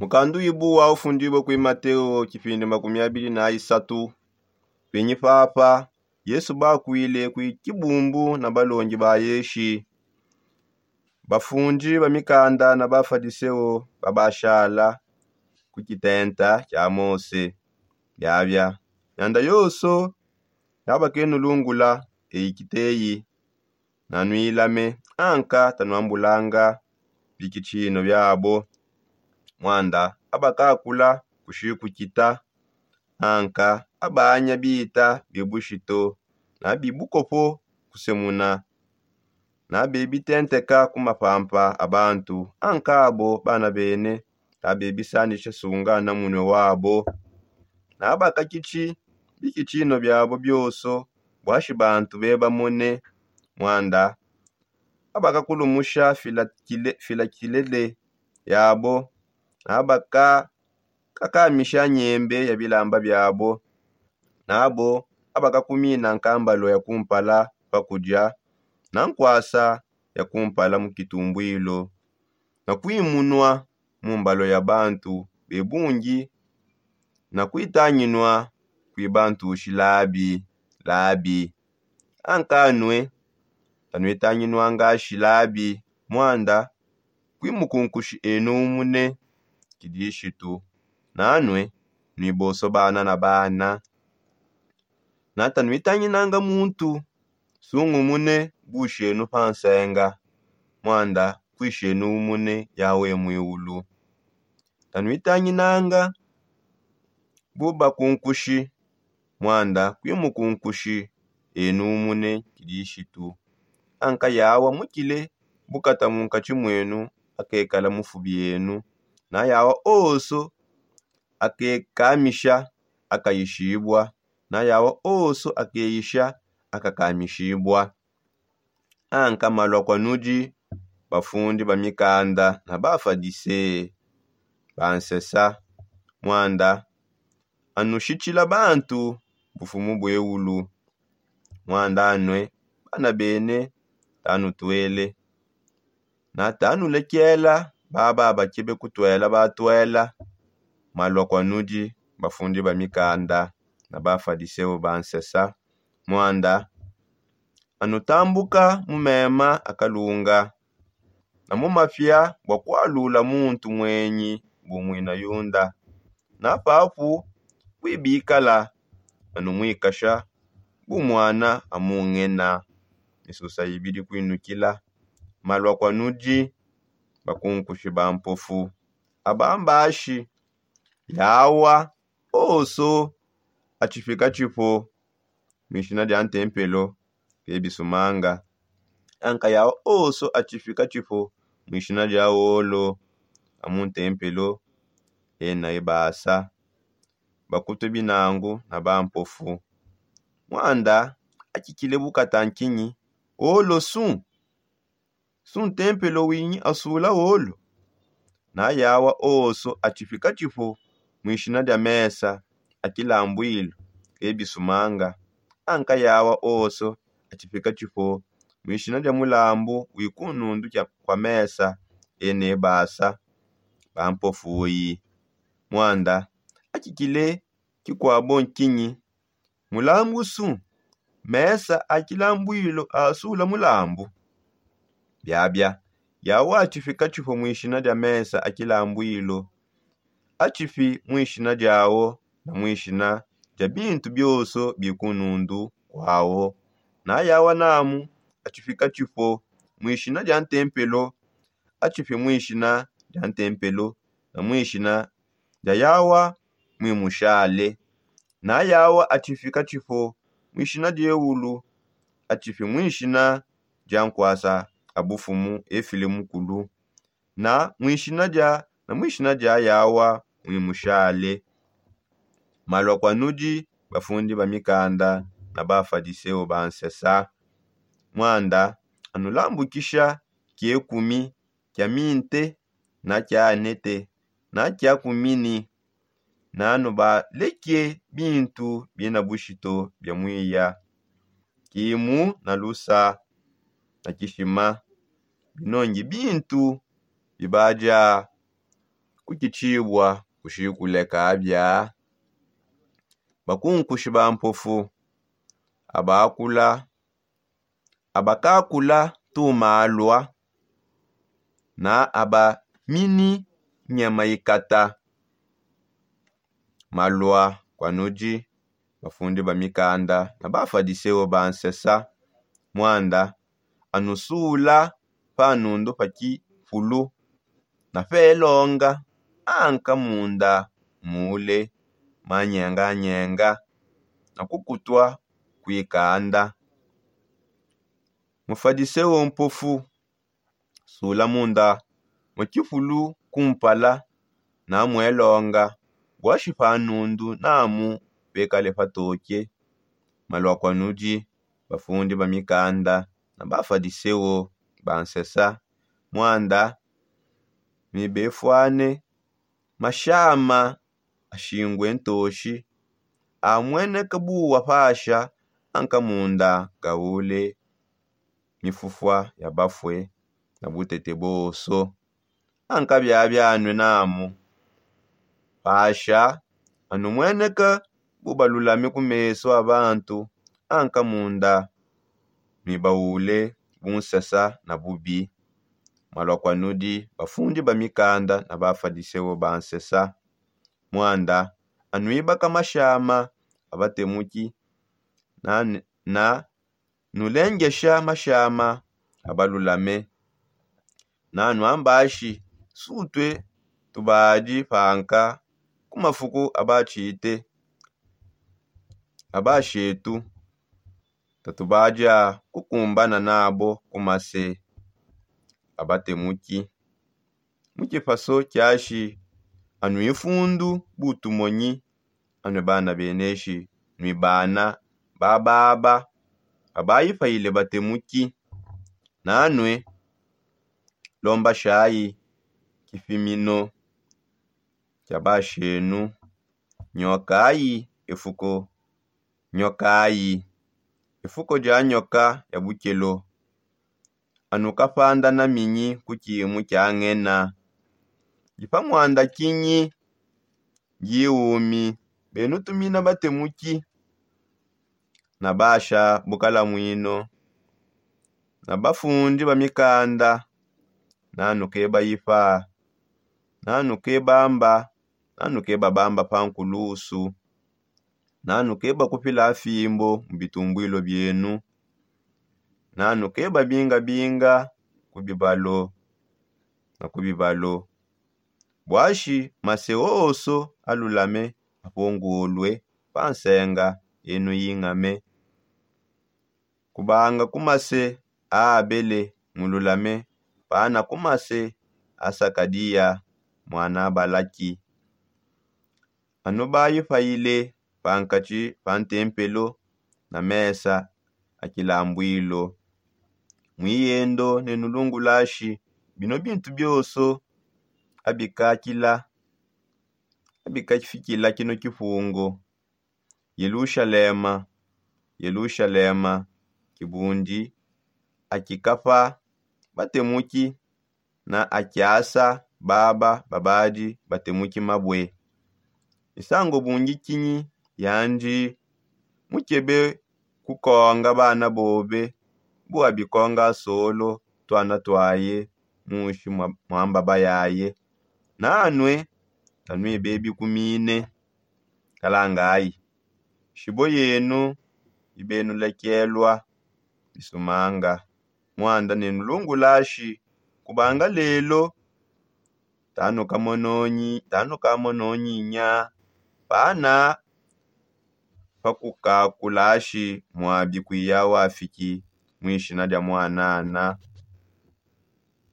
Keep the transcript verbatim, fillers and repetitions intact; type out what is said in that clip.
Mukandu ibu wa ufundibue kui mateo kipindi makumi abili na isatu. Pinyi papa yesu bakwile kui kibumbu na balongi ba yeshi, bafundi ba mikanda na bafadiseo babashala ku kitenta kia mose. Biabia nyanda yoso yabakenulungula eikiteyi. Nanuilame anka tanuambulanga bikitshino biabo. Mwanda abakakula kushikukita anka abanya bita bibushito na bibukopo kusemuna na bebitenteka ku mapampa a bantu anka abo bana bene na bebisandisha sunga na munue wabo. Na bakakitshi bikitshino biabo bioso bwashi bantu bebamone. Mwanda abakakulumusha filakilele yabo na bakakakamisha nyembe ya bilamba biabo. Nabo abakakumina nkambalo ya kumpala pakudia na nkwasa ya kumpala mu kitumbwilo na kuimunua mu mbalo ya bantu bebungi na kuitanginua kui bantushi labi labi. Ankanue tanuitanginuangashi labi mwanda kui mukunkushi enu umune kidishitu. Nanue nuiboso bana na bana na tanuitanginanga muntu sungumune bushenu pa nsenga mwanda kuishenu umune yawe muiulu. Tanuitanginanga bu bakunkushi mwanda kui mukunkushi enu umune kidishitu. Anka yawa mukile bukata munkatshi mwenu akekala mufubi enu na yawa oso akekamisha akayishibua na yawa oso akeyisha akakamishibua. Anka malua kua nudi bafundi ba mikanda na bafadise bansesa mwanda anushitshila bantu bufumu bueulu. Mwanda anue bana bene tanutuele na tanulekela baba bakebe kutuela batuela. Malua kua nudi bafundi ba mikanda na bafadiseo bansesa mwanda anutambuka mu mema a kalunga na mu mapia bua kualula muntu muenyi bu muina yunda na papu kuibikala anumuikasha bu muana amungena. Misusa ibidi kuinukila malua kua nudi bakunkushi ba mpofu abambashi yawa oso atshifika tshipo muishina dia ntempelo ke bisumanga. Anka yawa oso atshifika tshipo muishina dia olo amu ntempelo ena ebasa bakutue binangu na bampofu. Mwanda akikile bukata nkinyi olo su su ntempelo winyi asula olo na yawa oso atshifika tshipo muishina dia mesa a kilambuilu ke bisumanga. Anka yawa oso atshifika tshipo muishina dia mulambu wikunundu kua mesa ene basa bampofuyi. Mwanda akikile kikuabo nkinyi mulambu su mesa a kilambuilu asula mulambu. Biabia yawa atshifika tshipo muishina dia mesa a kilambuilu atshipi muishina diawo na muishina dia bintu bioso bikunundu kuawo. Na yawa namu atshifika tshipo muishina dia ntempelo atshipi muishina dia ntempelo na muishina dia yawa muimushale. Na yawa atshifika tshipo muishina diewulu atshipi muishina dia nkwasa a bufumu efile mukulu na muishina dia na muishina dia yawa muimushale. Malua kua nudi bafundi ba mikanda na bafadiseo bansesa mwanda anulambukisha kiekumi kia minte na kia anete na kia kumini na nubaleke bintu bina bushito bia muiya kimu na lusa na kishima binongi bintu bibadia. kukitshibua kushikule kabia. Bakunkushi ba mpofu abakula abakakula tumalua na aba mini nyama ikata. Malua kua nudi bafundi ba mikanda na bafadiseo ba nsesa. Muanda anusula pa nundu pa kifulu na pelonga anka munda mule manyenganyenga na kukutwa kuikanda. Mufadiseo mpofu sula munda mu kifulu kumpala na muelonga buashi pa nundu namu pekale patoke. Malua kua nudi bafundi ba mikanda na bafadiseo ba nsesa. Muanda mibefuane mashama ashingwe ntoshi amueneka buwa pasha anka munda gaule mifufua ya bafue na butete bonso. Anka biabianue namu pasha anu mueneka bubalulame ku mesu a bantu anka munda mibaule bunsesa na bubi. Malua kua nudi bafundi ba mikanda na bafadiseo ba nsesa. Muanda anuibaka mashama a batemuki na, na nulengesha mashama a balulame. Nanu ambashi sutue tubadi panka ku mafuku a batshite a bashetu tatubadia kukumbana nabo ku mase a batemuki. Mu kipaso kiashi anu ifundu butumonyi anue bana beneshi nui bana bababa abaipayile batemuki. Nanue lombashayi kipimino kia bashenu. Nyokayi efuko nyokayi efuko dia nyoka ya bukelo. Anu kapanda na minyi ku kimu kia ngena dipa muanda kinyi diumi. Benu tumina batemuki na basha bukalamuino na bafundi ba mikanda. Nanu keba ipa nanu keba mba nanu keba bamba pa nkulusu. Nanu keba kupila fimbo mu bitumbuilo bienu. Nanu keba binga binga ku bibalo na ku bibalo. Buashi mase oso alulame apongolue pa nsenga enu ingame. Kubanga ku mase a abele mululame pana ku mase a sakadiya muana balaki. Anu baipayile pankatshi pa ntempelo na mesa a kilambuilo. Muiyendo ne nulungulashi bino bintu bionso abikakila abikafikila kino kipungu. Yelushalema, yelushalema, kibundi akikapa batemuki na akiasa baba babadi batemuki mabue. Misango bungi kinyi yandi mukebe kukonga bana bobe bu abikonga solo tuana tuaye munshi mwa mbaba yaye. Nanue tanuibebikumine kalangayi shibo yenu ibenulekelua bisumanga. Muanda ne nulungulashi kubanga lelo tanukamononyi tanukamononyinya pana pakukakulashi muabi kuya wafiki. Muishina dia muanana